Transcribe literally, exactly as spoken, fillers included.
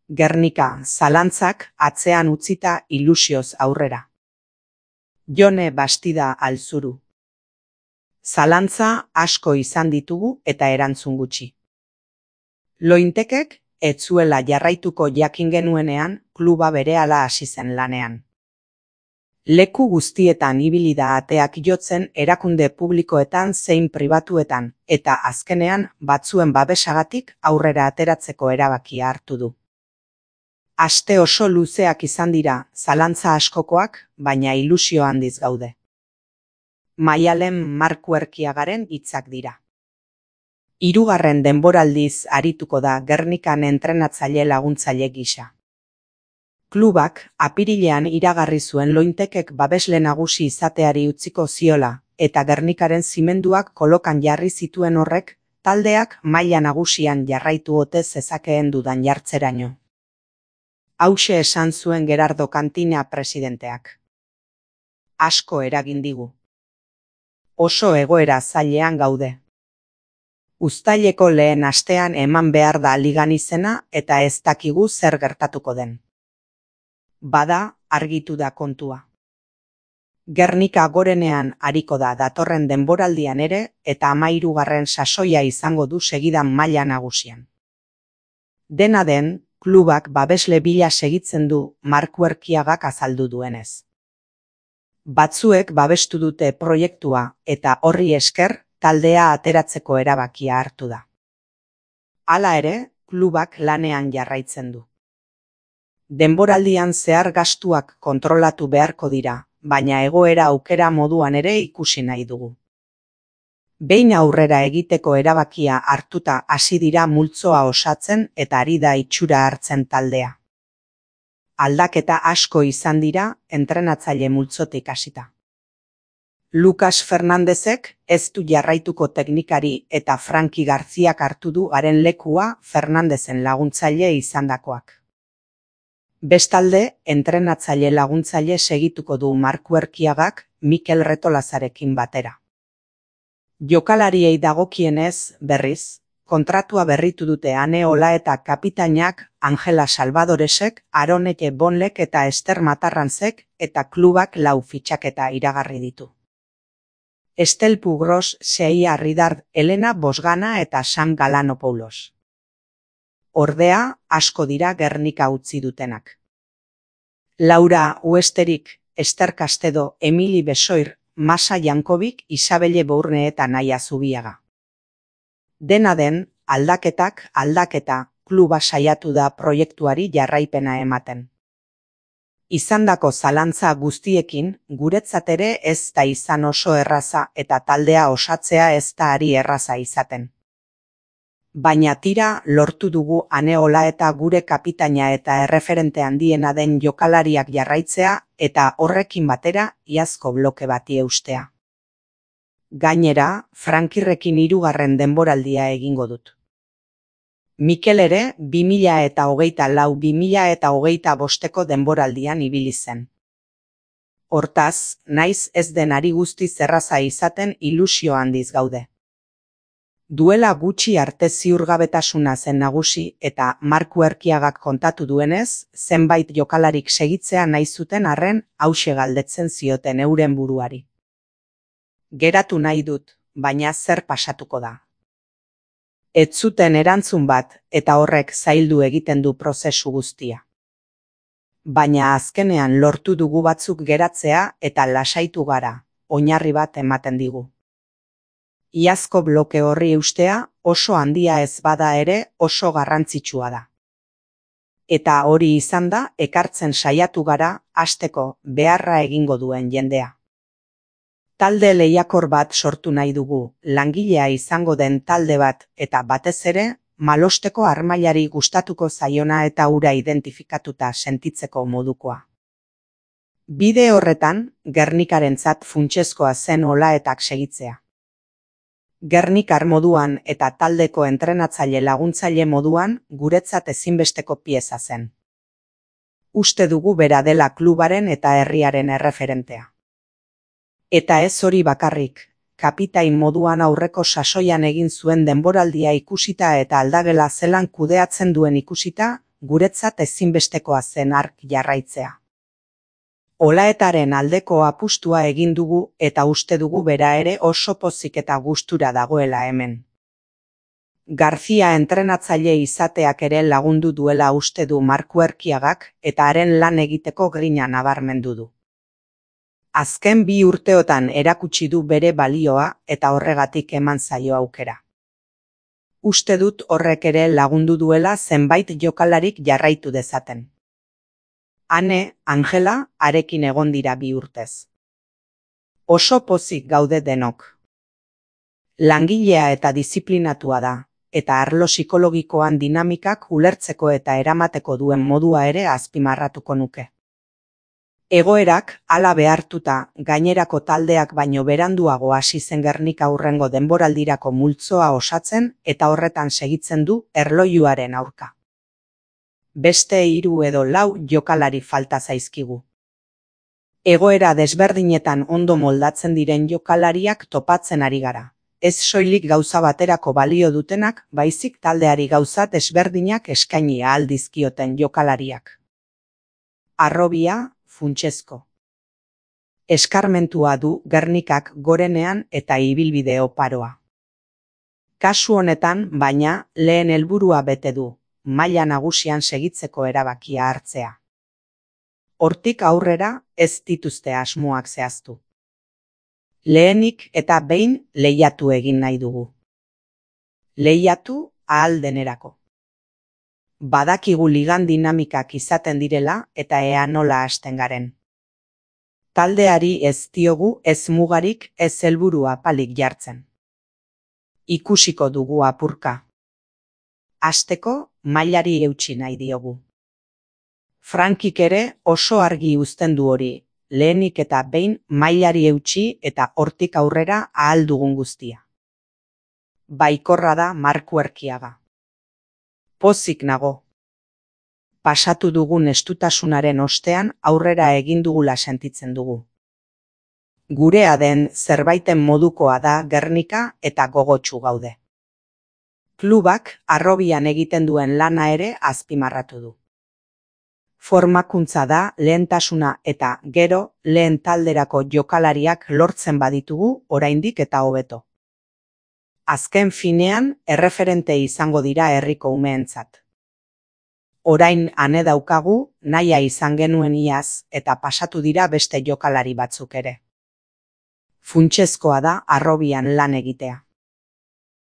Gernika, zalantzak atzean utzita ilusioz aurrera. Jone Bastida Alzuru. Zalantza asko izan ditugu eta erantzun gutxi. Lointekek ez zuela jarraituko jakin genuenean kluba berehala hasi zen lanean. Leku guztietan ibili da ateak jotzen erakunde publikoetan zein pribatuetan eta azkenean batzuen babesagatik aurrera ateratzeko erabakia hartu du. Aste oso luzeak izan dira, zalantza askokoak, baina ilusio handiz gaude. Maialen Markuerkiagaren hitzak dira. Hirugarren denboraldiz arituko da Gernikan entrenatzaile laguntzaile gisa. Klubak apirilean iragarri zuen Lointekek babesle nagusi izateari utziko ziola, eta Gernikaren zimenduak kolokan jarri zituen horrek, taldeak maila nagusian jarraitu ote zezakeen dudan jartzeraino. Hauxe esan zuen Gerardo Kantina presidenteak. Asko eragin digu. Oso egoera zailean gaude. Uztaileko lehen astean eman behar da ligan izena eta ez dakigu zer gertatuko den. Bada, argitu da kontua. Gernika gorenean ariko da datorren denboraldian ere eta hamahirugarren sasoia izango du segidan maila nagusian. Dena den, klubak babesle bila segitzen du Markuerkiagak azaldu duenez. Batzuek babestu dute proiektua eta horri esker taldea ateratzeko erabakia hartu da. Hala ere, klubak lanean jarraitzen du. Denboraldian zehar gastuak kontrolatu beharko dira, baina egoera aukera moduan ere ikusi nahi dugu. Behin aurrera egiteko erabakia hartuta hasi dira multzoa osatzen eta ari da itxura hartzen taldea. Aldaketa asko izan dira entrenatzaile multzotik hasita. Lucas Fernandezek ez du jarraituko teknikari eta Frankie Garziak hartu du haren lekua Fernandezen laguntzaile izandakoak. Bestalde, entrenatzaile laguntzaile segituko du Markuerkiagak Mikel Retolazarekin batera. Jokalariei dagokienez, berriz, kontratua berritu dute Ane Ola eta kapitainak Angela Salvadoresek, Aronete Bonlek eta Ester Matarranzek eta klubak lau fitxaketa iragarri ditu. Estel Pugros, Seia Ridard, Elena Bosgana eta Sam Galanopoulos. Ordea, asko dira Gernika utzi dutenak. Laura Uesterik, Ester Castedo, Emili Besoir, Masa Jankovic, Isabelle Bourne eta Naia Zubiaga. Dena den, aldaketak, aldaketa, kluba saiatu da proiektuari jarraipena ematen. Izandako zalantza guztiekin, guretzat ere ez da izan oso erraza eta taldea osatzea ez da ari erraza izaten. Baina tira lortu dugu Ane Ola eta gure kapitaina eta erreferente handiena den jokalariak jarraitzea eta horrekin batera iazko bloke bati eustea. Gainera, Frankirrekin hirugarren denboraldia egingo dut. Mikel ere bi mila eta hogeita lau bi mila eta hogeita bosteko denboraldian ibili zen. Hortaz, naiz ez den ari guztiz erraza izaten ilusio handiz gaude. Duela gutxi arte ziurgabetasuna zen nagusi eta Markuerkiagak kontatu duenez, zenbait jokalarik segitzea nahi zuten arren hauxe galdetzen zioten euren buruari. Geratu nahi dut, baina zer pasatuko da. Ez zuten erantzun bat eta horrek zaildu egiten du prozesu guztia. Baina azkenean lortu dugu batzuk geratzea eta lasaitu gara, oinarri bat ematen digu. Iazko bloke horri eustea oso handia ez bada ere oso garrantzitsua da. Eta hori izan da ekartzen saiatu gara hasteko beharra egingo duen jendea. Talde lehiakor bat sortu nahi dugu, langilea izango den talde bat eta batez ere malosteko harmailari gustatuko zaiona eta hura identifikatuta sentitzeko modukoa. Bide horretan, Gernikarentzat funtsezkoa zen Olaetak segitzea. Gernikar moduan eta taldeko entrenatzaile laguntzaile moduan guretzat ezinbesteko pieza zen. Uste dugu bera dela klubaren eta herriaren erreferentea. Eta ez hori bakarrik, kapitain moduan aurreko sasoian egin zuen denboraldia ikusita eta aldagela zelan kudeatzen duen ikusita, guretzat ezinbestekoa zen hark jarraitzea. Olaetaren aldeko apustua egin dugu eta uste dugu bera ere oso pozik eta gustura dagoela hemen. Garcia entrenatzaile izateak ere lagundu duela uste du Marku Erkiagak eta haren lan egiteko grina nabarmendu du. Azken bi urteotan erakutsi du bere balioa eta horregatik eman zaio aukera. Uste dut horrek ere lagundu duela zenbait jokalarik jarraitu dezaten. Ane, Angela, harekin egon dira bi urtez. Oso pozik gaude denok. Langilea eta diziplinatua da, eta arlo psikologikoan dinamikak ulertzeko eta eramateko duen modua ere azpimarratuko nuke. Egoerak, hala behartuta, gainerako taldeak baino beranduago hasi zen Gernika hurrengo denboraldirako multzoa osatzen eta horretan segitzen du erlojuaren aurka. Beste hiru edo lau jokalari falta zaizkigu. Egoera desberdinetan ondo moldatzen diren jokalariak topatzen ari gara. Ez soilik gauza baterako balio dutenak, baizik taldeari gauza desberdinak eskaini ahal dizkioten jokalariak. Harrobia, funtsezko. Eskarmentua du Gernikak gorenean eta ibilbide oparoa. Kasu honetan, baina, lehen helburua bete du, maila nagusian segitzeko erabakia hartzea. Hortik aurrera ez dituzte asmoak zehaztu. Lehenik eta behin lehiatu egin nahi dugu. Lehiatu ahal denerako. Badakigu ligan dinamikak izaten direla eta ea nola hasten garen. Taldeari ez diogu ez mugarik ez helburu apalik jartzen. Ikusiko dugu apurka. Hasteko mailari eutsi nahi diogu. Frankik ere oso argi uzten du hori, lehenik eta behin mailari eutsi eta hortik aurrera ahal dugun guztia. Baikorra da Marku Erkiaga. Pozik nago. Pasatu dugun estutasunaren ostean aurrera egin dugula sentitzen dugu. Gurea den zerbaiten modukoa da Gernika eta gogotsu gaude. Klubak harrobian egiten duen lana ere azpimarratu du. Formakuntza da lehentasuna eta gero lehen talderako jokalariak lortzen baditugu oraindik eta hobeto. Azken finean erreferente izango dira herriko umeentzat. Orain ane daukagu, nahia izan genuen iaz eta pasatu dira beste jokalari batzuk ere. Funtsezkoa da harrobian lan egitea.